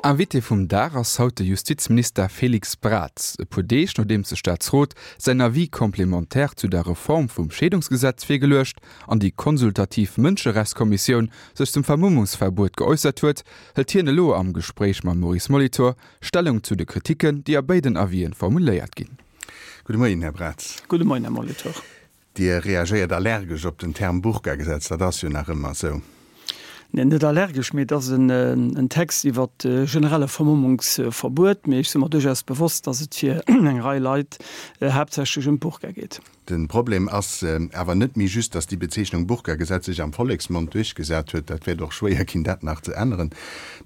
Invité vum Dag ass haut de Justizminister Félix Braz. E puer Deeg nodeems de Staatsrot säin Avis complémentaire zu der Reform vum Scheedungsgesetz virgeluecht an déi konsultativ Mënscherechtskommissioun sech zum Vermummungsverbuet geäussert huet, hëlt hien elo am Gespréich mam Maurice Molitor Stellung zu de Kriticken, déi a béiden Avisen formuléiert ginn. Gudde Moien, Här Braz. Gudde Moien, Här Molitor. Dir reagéiert allergesch op den Term Burka-Gesetz, dat ass jo nach ëmmer esou. Neen, net allergesch, mee et ass en Text iwwer e generelle Vermummungsverbuet. Mee ech si mer duerchaus bewosst, datt et fir eng Rei Leit haaptsächlech ëm d'Burka geet. De Problem ass awer net méi just, datt déi Bezeechnung Burka-Gesetz sech am Volleksmond duerchgesat huet, dat wäert och schwéier ginn, dat nach ze änneren.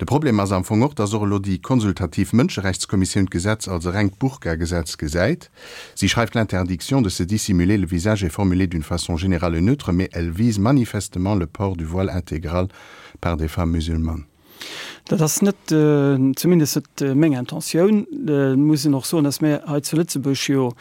De Problem ass am Fong och, datt och elo déi konsultativ Mënscherechtskommissioun d'Gesetz als e rengt Burka-Gesetz gesäit. Sie schreift l'interdiction de se dissimuler le visage est formulée d'une façon générale et neutre, mais elle vise manifestement le port du voile intégral par des femmes musulmanes. Dat ass net, zumindest net meng Intentioun. Et muss een och soen, datt mir hei zu Lëtzebuerg jo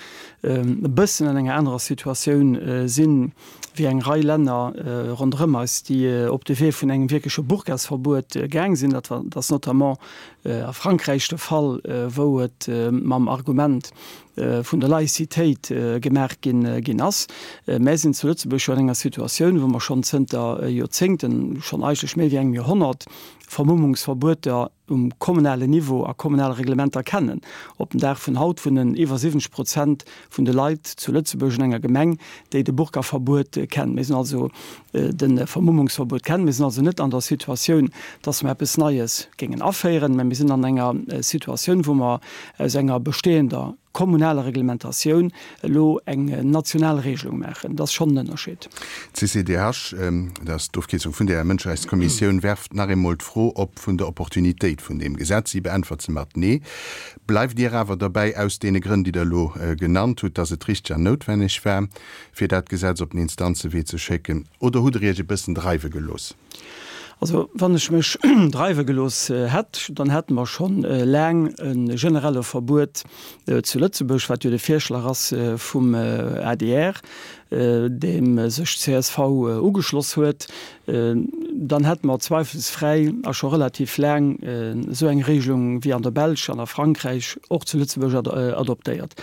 e bëssen an enger anerer Situatioun sinn, wéi eng Rei Länner ronderëm eis, déi op de Wee vun engem wierkleche Burkasverbuet gaang sinn. Dat ass notamment A Frankräich de Fall, wou et mam Argument vun der Laïcitéit gemaach ginn ass. Mär sinn zu Lëtzebuerg jo an enger Situatioun, wou mer schonn zënter Joerzéngten, schonn eigentlech méi wéi engem Joerhonnert, Vermummungsverbueter um kommunalen Niveau a kommunale Reglementer kennen. Op den Dag vun haut wunnen iwwer 70 Prozent vun de Leit zu Lëtzebuerg an enger Gemeng, déi de Burkaverbuet kennen. Mir sinn also de Vermummungsverbuet kennen. Mir sinn also net an der Situatioun, dass mer eppes Neies géingen aféieren, mä mir sinn an enger Situatioun, wou mer aus enger bestehender kommunaler Reglementatioun elo eng national Regelung maachen. Dat ass schonn en Ënnerscheed. D'CCDH, dat ass d'Ofkierzung vun där Mënscherechtskommissioun, werft nach eemol d'Fro op vun der Opportunitéit vun deem Gesetz. Si beäntwert se mat Nee. Bleift Dir awer derbäi, aus deene Grënn, déi Der elo genannt hutt, dass et richteg an noutwenneg war, fir dat Gesetz op den Instanzewee ze schécken, oder hutt Der Iech e bëssen dreiwe gelooss? Also, wann ech mech dreiwe gelooss hätt, dann hätte mer scho laang e generelle Verbuet zu Lëtzebuerg, wat jo de Virschlag ass vum adr, deem sech csv ugeschloss huet. Dann hätte mer zweifelsfräi a scho relativ laang esou eng Regelung wéi an der Belsch an a Frankräich och zu Lëtzebuerg adoptéiert.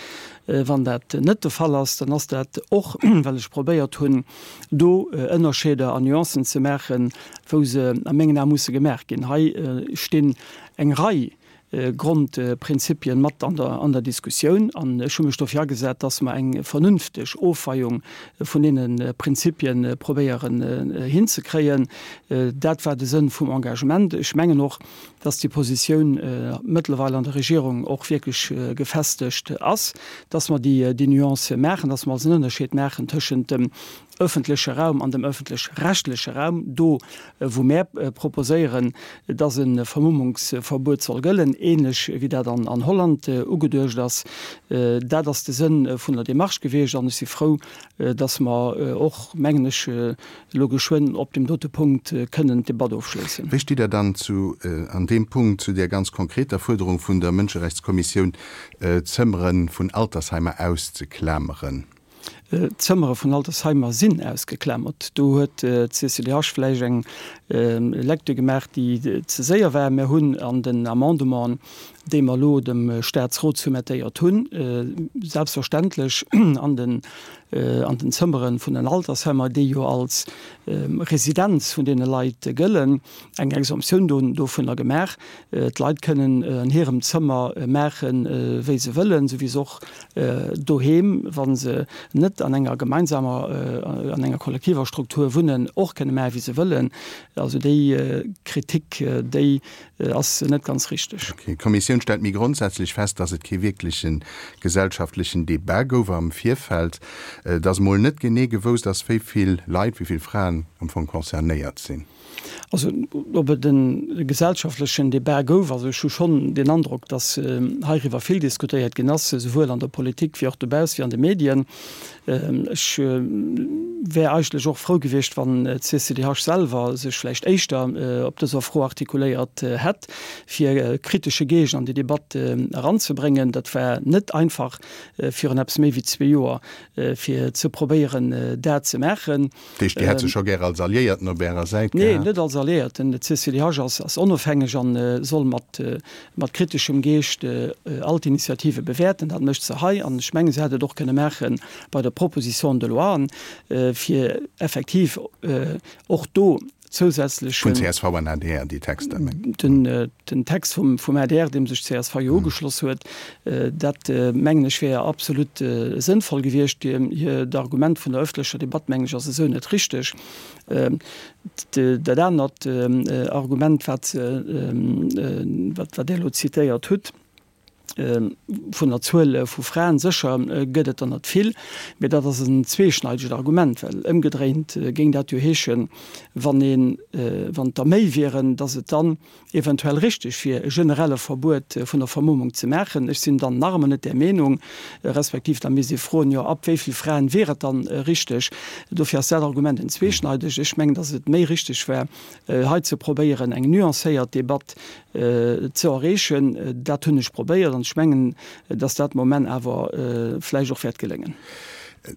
Wann dat net de Fall ass, dann ass dat och, well ech probéiert hunn, do Ënnerscheeder an Nuancen ze maachen, wou se a mengen Ae musse gemaach ginn. Hei stinn eng Rei Grondprinzipien mat an der an der Diskussioun an ech hu mech dofir agesat, dass mer eng vernünfteg Ofweiung vun deene Prinzipien probéieren hinzekréien. Dat war de Sënn vum Engagement. Ech mengen och, dass déi Positioun mëttlerweil an der Regierung och wierklech gefestegt ass, dass mer déi déi Nuance maachen, dass mer also en Ënnerscheed maachen tëschent dem öffentleche Raum an dem öffentlech-rechtleche Raum, do wou mär proposéieren, dass e Vermummungsverbuet soll gëllen, ähnlech wéi dat an Holland ugeduecht ass. Dat ass de Sënn vun der Démarche gewiescht an ech si frou, dass mer och, mengen ech, elo geschwënn op deem dote Punkt kënnen d'Debatt ofschléissen. Wéi stitt Der dann zu an deem Punkt zu där ganz konkreter Fuerderung vun der Mënscherechtskommissioun, d'Zëmmere vun Altersheimer auszeklameren? D'Zëmmere vun Altersheimer sinn ausgeklamert. Do huet d'CCDH vläicht eng Lecture gemaach, déi ze séier war. Mir hunn an den Amendementen, déi mer elo dem Statsrot soumettéiert hunn, selbstverständlech an den an den Zëmmere vun den Altersheimer, déi jo als Residenz vun deene Leit gëllen, eng Exemptioun dovunner gemaach. D'Leit kënnen an hirem Zëmmer maachen, wéi se wëllen, esou wéi se och doheem, wa se net an enger gemeinsamer, an enger kollektiver Struktur wunnen, och kënne maachen, wéi se wëllen. Also déi Kritik, déi ass net ganz richteg. Ok. D'Kommissioun stellt méi grondsätzlech fest, dass et kee wierkleche gesellschaftlechen Debat gouf am Virfeld, dass mol net genee gewousst ass, wéi vill Leit, wéi vill Fraen am Fong concernéiert sinn. Also, ob et e gesellschaftlechen Debat gouf, also ech hu schonn den Androck, dass heiriwwer vill diskutéiert ginn ass, esouwuel an der Politik wéi och dobauss wéi an de Medien. Ech wär eigentlech och frou gewiescht, wann d'CCDH selwer sech vläicht éischter op dëser Fro artikuléiert hätt, fir kritesche Geescht an déi Debatt eranzebréngen. Dat war net einfach virun eppes méi wéi zwee Joer, fir ze probéieren, dat ze maachen. Dat heescht, Dir hätt se scho gär als Alliéierten op Ärer Säit gehat? Nee, net als. Alliéierten. D'CCDH ass onofhängeg a soll mat kriteschem Geescht all d'Initiative bewäerten. Dat mécht se hei an ech mengen, se hätt et och kënne maache bei der Proposition de loi, fir effektiv och do zousätzlechen. Vun csv an adr, déi Texter, mengt Der? Den Text vum adr, deem sech csv jo ugeschloss huet, dat mengen ech wär absolut sënnvoll gewiescht. D'Argument vun der ëffentlecher Debatt, mengen ech, ass esou net richteg. Dat anert Argument, wat Der elo zitéiert hutt, vun der Zuel vu Fraen, sécher gëtt et der net vill, mee dat ass en zweeschneidegt Argument, well ëmgedréint géing dat jo heeschen, wann een, wann et der méi wieren, datt et dann eventuell richteg wier, e generelle Verbuet vun der Vermummung ze maachen. Ech sinn dann nach ëmmer net där Meenung, respektiv da misst ee froen, jo ab wéi vill Fraen wier et dann richteg? Dofir ass dat Argument en zweeschneidegt. Ech mengen, datt et méi richteg war, hei ze probéieren, eng nuancéiert Debatt ze erreechen. Dat hunn ech probéiert an ech mengen, dass dat de Moment awer vläicht och wäert geléngen.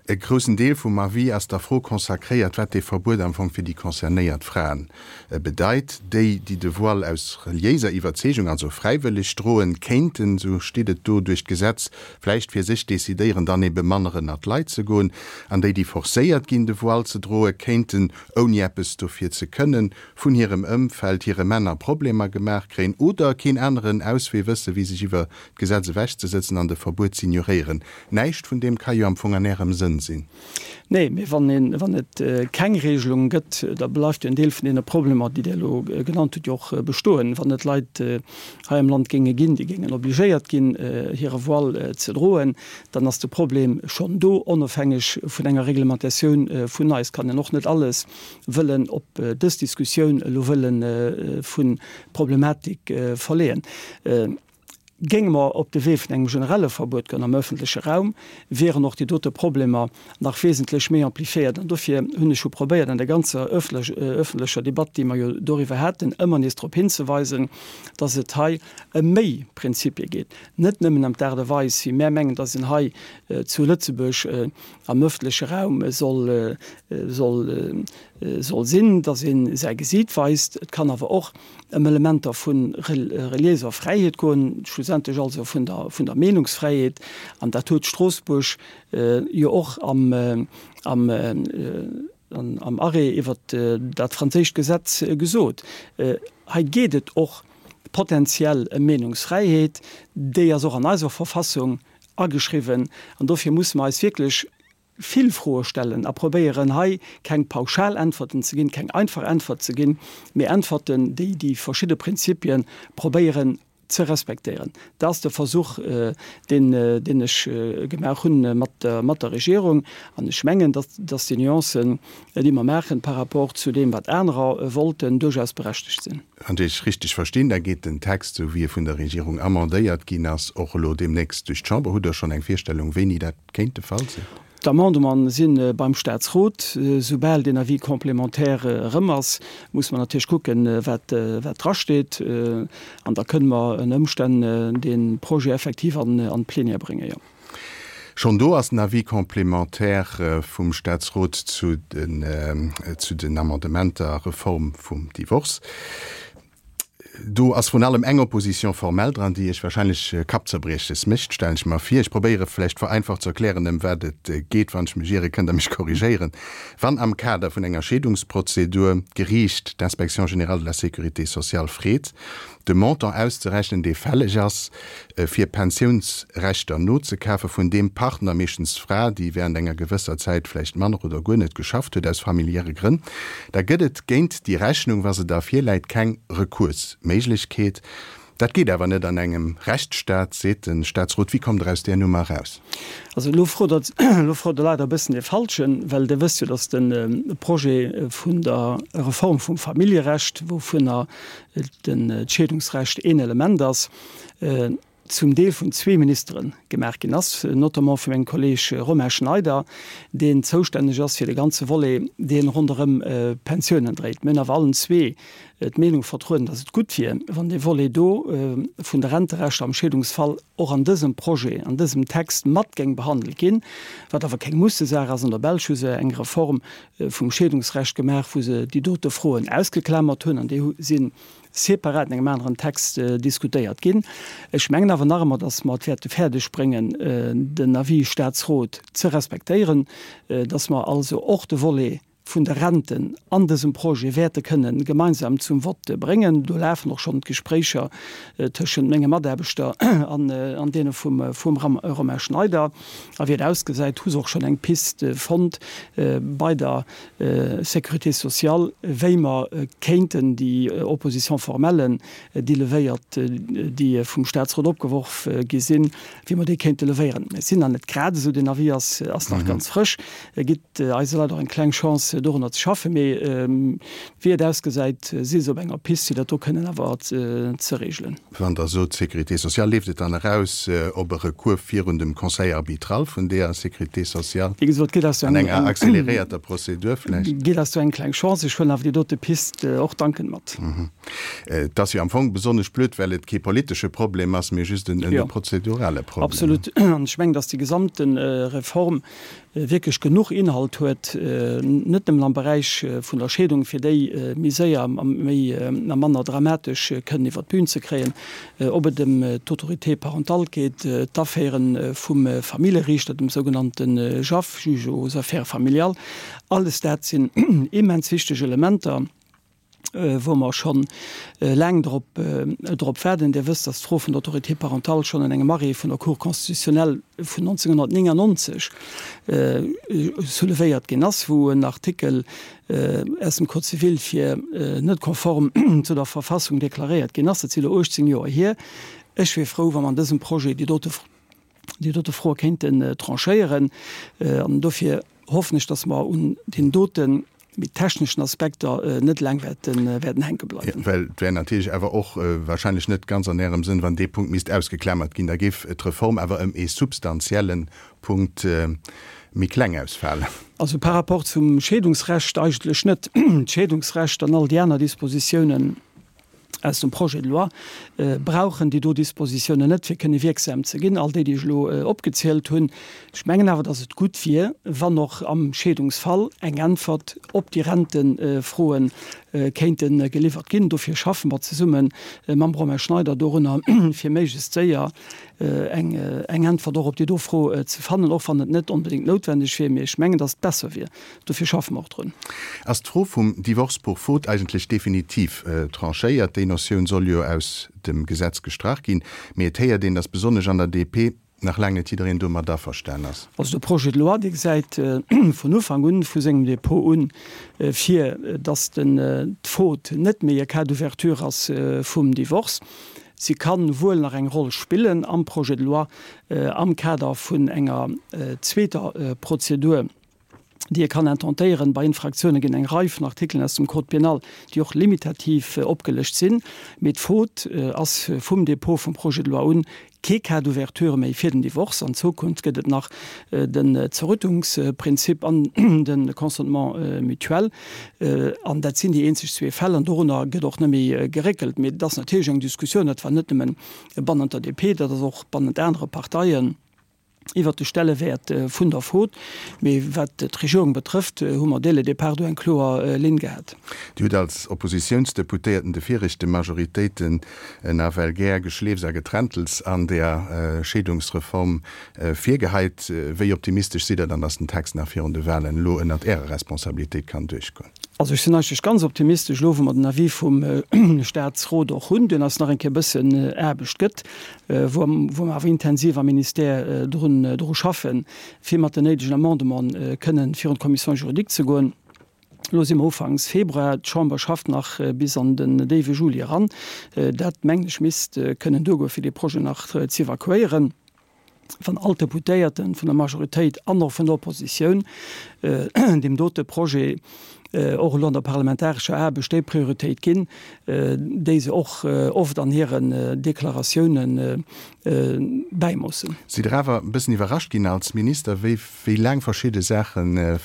E groussen Deel vum Avis ass der Fro consacréiert, wat dee Verbuet am Fong fir déi concernéiert Fraen bedeit. Déi, déi de Voile aus reliéiser Iwwerzeegung, also fräiwëlleg droen, kéinten, esou steet et do, duerch d'Gesetz vläicht fir sech decidéieren, dann ebe manner ënnert d'Leit ze goen. An déi, déi forcéiert ginn, de Voile ze droen, kéinten, ouni eppes dofir ze kënnen, vun hirem Ëmfeld, hire Männer Problemer gemaach kréien oder keen aneren Auswee wësse wéi sech iwwer d'Gesetz ewech ze sëtzen an de Verbuet z'ignoréieren. Näischt vun deem ka jo am Fong an Ärem Sënn sinn. Nee, mee wann een, wann et keng Regelung gëtt, da bleift jo en Deel vun deene Problemer, déi Dir elo genannt hutt, jo och bestoen. Wann et Leit hei am Land géinge ginn, déi géingen obligéiert ginn, hire Voile ze droen, dann ass de Problem schonn do, onofhängeg vun enger Reglementatioun vun eis. Kann een och net alles wëllen op dës Diskussioun elo wëlle vu Problematik verleeën. Géinge mer op de Wee vun engem generelle Verbuet goen am öffentleche Raum, wieren och déi dote Problemer nach wesentlech méi amplifiéiert. An dofir hunn ech jo probéiert an der ganzer öffentlecher Debatt, déi mer jo doriwwer haten, ëmmer nees drop hinzeweisen, dass et hei ëm méi Prinzipie geet, net nëmmen ëm d'Aart a Weis, wéi mär mengen, dass een hei zu Lëtzebuerg am öffentleche Raum soll, soll, soll sinn, dass ee säi Gesiit weist. Et kann awer och ëm Elementer vu reliéiser Fräiheet goen, schlussendlech also vun der, vun der Meenungsfräiheet. An dat huet Stroossbuerg jo och am, am, am Arrêt iwwert dat franséischt Gesetz gesot. Hei geet et och potenziell ëm Meenungsfräiheet. Déi ass och an eiser Verfassung ageschriwwen an dofir musse mer eis wierklech vill Froe stellen a probéieren hei keng pauschal Äntwerten ze ginn, keng einfach Äntwert ze ginn, mee Äntwerten, déi déi verschidde Prinzipie probéieren ze respektéieren. Dat ass de Versuch, deen, deen ech gemaach hunn mat der, mat der Regierung. An ech mengen, datt, datt déi Nuancen, déi mer maachen par rapport zu deem, wat anerer wollten, duerchaus berechtegt sinn. Wann ech Iech richteg verstinn, da geet den Text, esou wéi e vun der Regierung amendéiert ginn ass, och elo deemnächst duerch d'Chamber. Hutt Der schonn eng Virstellung, wéini dat kéint de Fall sinn? D'Amendementen si beim Statsrot. Soubal deen Avis complémentaire erëm ass, muss mer natierlech kucken, wat drasteet. An da kënne mer ënner Ëmstänn dee Projet effektiv an d'Plénière bréngen, jo. Schonn do ass den Avis complémentaire vum Statsrot zu den Amendementer Reform vum Divorce. Do ass vrun allem eng Opposition formelle dran, déi Iech wahrscheinlech Kappzerbrieches mécht, stellen ech mer vir. Ech probéiere vläicht vereinfacht ze erklären, ëm wat et geet. Wann ech mech iere, kënnt Der mech korrigéieren. Wann am Kader vun enger Scheedungsprozedur d'Geriicht d'Inspection générale de la sécurité sociale freet, de Montant auszerechnen, dee fälleg ass, fir Pensiounsrechter nozekafe vun deem Partner, meeschtens d'Fra, déi während enger gewësser Zäit vläicht manner oder guer net geschafft huet, aus familiäre Grënn, da gëtt et géint déi Rechnung, wa se da virläit, keng Rekursméiglechkeet. Dat geet awer net an engem Rechtsstaat, seet de Staatsrot. Wéi kommt Der aus där Nummer eraus? Also elo frot Der, elo frot Der leider e bëssen dee Falschen, well Der wësst jo, datt de Projet vun der Reform vum Familljerecht, wouvunner d'Scheedungsrecht een Element ass. zum Deel vun zwee Ministere gemaach ginn ass, notamment vu mengem Kolleeg Romain Schneider, deen zoustänneg ass fir de ganze Volet, deen ronderëm d'Pensiounen dréit. Mir hunn awer allen zwee d'Meenung vertrueden, dass et gutt wier, wann dee Volet do vun de Renterechter am Scheedungsfall och an dësem Projet, an dësem Text mat géing behandelt ginn, wat awer keng Mussesaach ass. An der Belsch hu se eng Reform vum Scheedungsrecht gemaach, wou se déi dote Froen ausgeklamert hunn, an déi si separat an engem aneren Text diskutéiert ginn. Ech mengen awer nach ëmmer, dass mer et wäerte fäerdeg bréngen, den Avis Statsrot ze respektéieren, dass mer also och de Volet vun de Renten an dësem Projet wäerte kënnen gemeinsam zum Vott bréngen. Do lafen och schonn d'Gespréicher tëschent menge Mataarbechter an deene vum Romain Schneider. A wéi et ausgesäit, hu se och schonn eng Pist fonnt bei der Sécurité sociale, wéi mer kéinten déi Opposition formellen, déi levéiert, déi vum Statsrot opgeworf gi sinn, wéi mer déi kéinte levéieren. Ech sinn nach net grad esou, den Avis ass, ass nach ganz frësch, e gitt eise Leit och eng kleng Chance, dorunner ze schaffen. Mee wéi et ausgesäit, si se op enger Pist, fir dat do kënnen awer ze regelen. Wann Der sot Sécurité sociale, leeft et dann eraus op e Recours virun dem Conseil arbitral vun deeër Sécurité sociale? Wéi gesot, gitt eis do eng. An enger accéléréierter Prozedur vläicht? Gitt eis do eng kleng Chance. Ech huelen awer déi dote Pist och dankend mat. Et ass jo am Fong besonnesch blöd, well et kee politesche Problem ass, mee just en prozedurale Problem. Absolut. An ech mengen, dass déi gesamte Reform wierklech genuch Inhalt huet, net nëmmen am Beräich vun der Scheedung, fir déi méi séier a méi a manner dramatesch kënnen iwwer d'Bün ze kréien, ob et ëm d'Autorité parentale geet, d'Affäre vum Familleriichter, dem sougenannte JAF, Juge aux affaires familiales, alles dat sinn immens wichteg Elementer. wou mer scho laang drop drop waarden. Dir wësst, dass d'Fro vun der Autorité parentale schonn an engem Arrêt vun der Cour constitutionnelle vun 1999 soulevéiert ginn ass, wou en Artikel aus dem Code civil fir net konform zu der Verfassung deklaréiert ginn ass. Dat si elo 18 Joer hier. Ech wier frou, wa mer an dësem Projet déi dote déi dote Froe kéinten tranchéieren. An dofir hoffen ech, dass mer un deenen dote méi techneschen Aspekter net laang wäerten hänke bleiwen. Well et wär natierlech awer och wahrscheinlech net ganz an Ärem Sënn, wann dee Punkt misst ausgeklamert ginn. Da géif d'Reform awer ëm ee substantielle Punkt méi kleng ausfalen. Also par rapport zum Scheedungsrecht eigentlech net. D'Scheedungsrecht an all déi aner Dispositiounen aus dem Projet de loi brauchen déi do Dispositiounen net, fir kënne wierksam ze ginn, all déi, déi ech elo opgezielt hunn. Ech mengen awer, datt et gutt wier, wann och am Scheedungsfall eng Äntwert op déi Rentefroe kéinte geliwwert ginn. Dofir schaffe mer zesumme mam Romain Schneider dorunner, fir méiglechst séier eng Äntwert och op déi do Fro ze fannen, och wann et net onbedéngt noutwendeg wier. Mee ech mengen, datt et besser wier. Dofir schaffe mer och drun. Ass d'Fro vum Divorce pour faute eigentlech definitiv tranchéiert? Déi Notioun soll jo aus dem Gesetz gestrach ginn, mee et héiert een, datt besonnesch an der DP nach laang net jiddereen domat averstan ass. Also de Projet de loi, dee gesäit vun Ufank un, vu sengem Dépôt un, vir, datt d'Faute net méi e Cas d'ouverture ass vum Divorce. Si ka wuel nach eng Roll spillen am Projet de loi am Kader vun enger zweeter Prozedur, déi e kann intentéieren. Bei Infraktioune ginn eng Rei vun Artikelen aus dem Code pénal, déi och limitativ opgelëscht sinn. Mee d'Faute ass vum Dépôt vum Projet de loi un kee Cas d'ouverture méi fir den Divorce. An Zukunft gëtt et nach den Zerrüttungsprinzip an de Consentement mutuel. An dat sinn déi eenzeg zwee Fäll. An dorunner gëtt och net méi geréckelt. Mee et ass natierlech eng Diskussioun, dat war net nëmmen bannent der DP, dat ass och bannent anere Parteien. iwwert de Stellewäert vun der Faute. Mee wat d'Regierung betrëfft, hu mer dès le départ do eng kloer Linn gehat. Dir hutt als Oppositiounsdeputéierten de viregte Majoritéiten nawell gär Geschleefs a Geträntels an der Scheedungsreform virgeheit. Wéi optimistesch sidd Der dann, datt den Text nach virun de Wahlen elo ënnert Ärer Responsabilitéit kann duerchgoen? Also ech sinn eigentlech ganz optimistesch elo, wou mer den Avis vum Statsrot och hunn, deen eis nach eng Kéier e bëssen Aarbecht gëtt, wou mer awer intensiv am Ministère drun dru schaffen, fir mat den néidegen Amendementen kënnen virun d'Commission juridique ze goen. Elo si mer ufanks Februar, d'Chamber schafft nach bis an den déiwe Juli eran. Dat, mengen ech, misst kënnen duergoen, fir dee Projet nach z'evakuéieren. Wann all d'Deputéierte vun der Majoritéit an och vun der Oppositioun deem dote Projet och elo an der parlamentarescher Aarbecht déi Prioritéit ginn, déi se och oft an hiren Deklaratiounen bäimoossen. Sidd Der awer e bëssen iwwerrascht ginn als Minister, wéi laang verschidde Saachen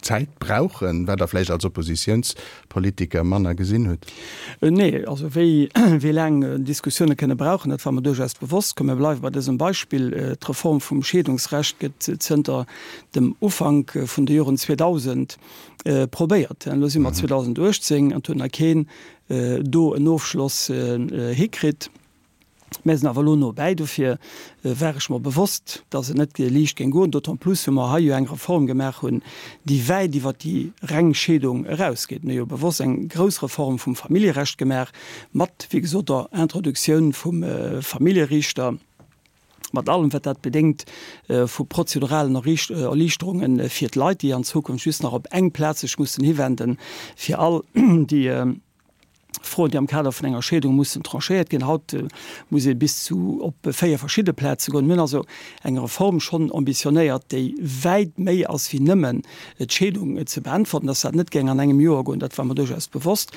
Zäit brauchen, wat Der vläicht als Oppositiounspolitiker manner gesinn hutt? Nee, also wéi wéi laang Diskussioune kënne brauchen, dat war mer duerchaus bewosst. Komm mir bleiwe bei dësem Beispill, D'Reform vum Scheedungsrecht gëtt zënter dem Ufank vun de Joren 2000 probéiert. Elo si mer 2018 an et huet nach keen do en Ofschloss hikritt. Mär sinn awer elo no bäi. Dofir war ech mer bewosst, dass et net liicht géing goen, d'autant plus wou mer hei jo eng Reform gemaach hunn, déi wäit iwwert déi reng Scheedung erausgeet. Mir hu jo bewosst eng grouss Reform vum Familljerecht gemaach, mat, wéi gesot, der Introduktioun vum Familljeriichter, mat allem wat dat bedéngt vu prozeduralen Erliichterunge fir d'Leit, déi an Zukunft just nach op eng Plaz sech mussen hiwenden, fir all déi Froen, déi am Kader vun enger Scheedung mussen tranchéiert ginn. Haut muss ee bis zu op 4 verschidde Plaze goen. Mir hunn also eng Reform schonn ambitionéiert, déi wäit méi ass wéi nëmmen d'Scheedung ze beäntwerten. Dass dat net géing an engem Joer goen, dat war mer duerchaus bewosst.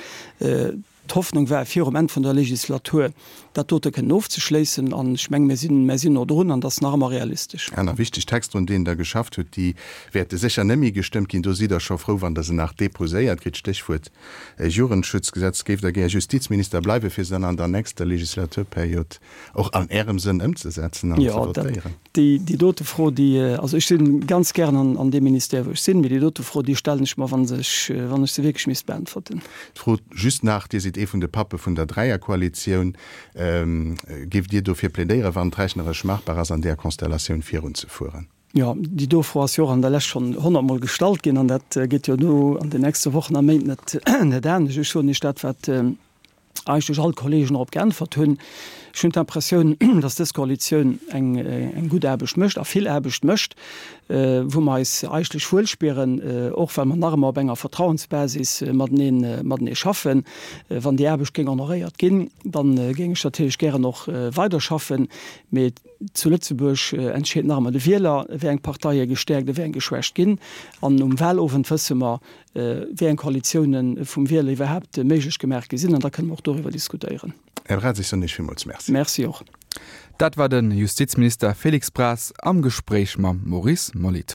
D'Hoffnung war, virum Enn vun der Legislatur dat dote kënnen ofzeschléissen. An ech mengen, mir sinn, mir sinn no drun an dat ass nach ëmmer realistesch. Aner wichteg Texter, un deenen Der geschafft hutt, déi wäerte sécher net méi gestëmmt ginn. Do sidd Der scho frou, wann Der se nach deposéiert kritt. Stéchwuert Jugendschutzgesetz. Géift Der gär Justizminister bleiwen, fir se dann an der nächster Legislaturperiod och an Ärem Sënn ëmzesetzen an ze votéieren? Jo, déi dote Fro, déi, also ech si ganz gären an deem Ministère, wou ech sinn, mee déi dote Fro, déi stellen ech mer, wa ech, wann ech se wierklech misst beäntwerten. D'Fro just nach, Dir sidd ee vun de Pappe vun der Dräierkoalitioun. Géift Dir dofir plädéieren, wann et rechneresch machbar ass, an där Konstellatioun virunzefueren? Jo, déi do Fro ass jo och an der Lescht schonn honnertmol gestallt ginn an dat gëtt jo elo an den nächste Wochen a Méint net net anescht. Ech soen Iech dat, wat eigentlech all d'Kollegen drop geäntwert hunn. Ech hunn d'Impressioun, datt dës Koalitioun eng eng gutt Aarbecht mécht a vill Aarbecht mécht, wou mer eis eigentlech wuel spieren, och well mer nach ëmmer op enger Vertrauensbasis matenee matenee schaffen. Wann déi Aarbecht géing honoréiert ginn, da géing ech natierlech gären och weiderschaffen. Mee Zu Lëtzebuerg entscheet nach ëmmer de Wieler, wéi eng Parteie gestäerkt a wéi eng geschwächt ginn. An um Wahlowend wësse mer, wéi eng Koalitioune vum Wieler iwwerhaapt méiglech gemaach gi sinn. An da kënne mer och doriwwer diskutéieren. Här Braz, ech soen Iech villmools Merci. Merci och. Dat war de Justizminister Félix Braz am Gespréich mam Maurice Molitor.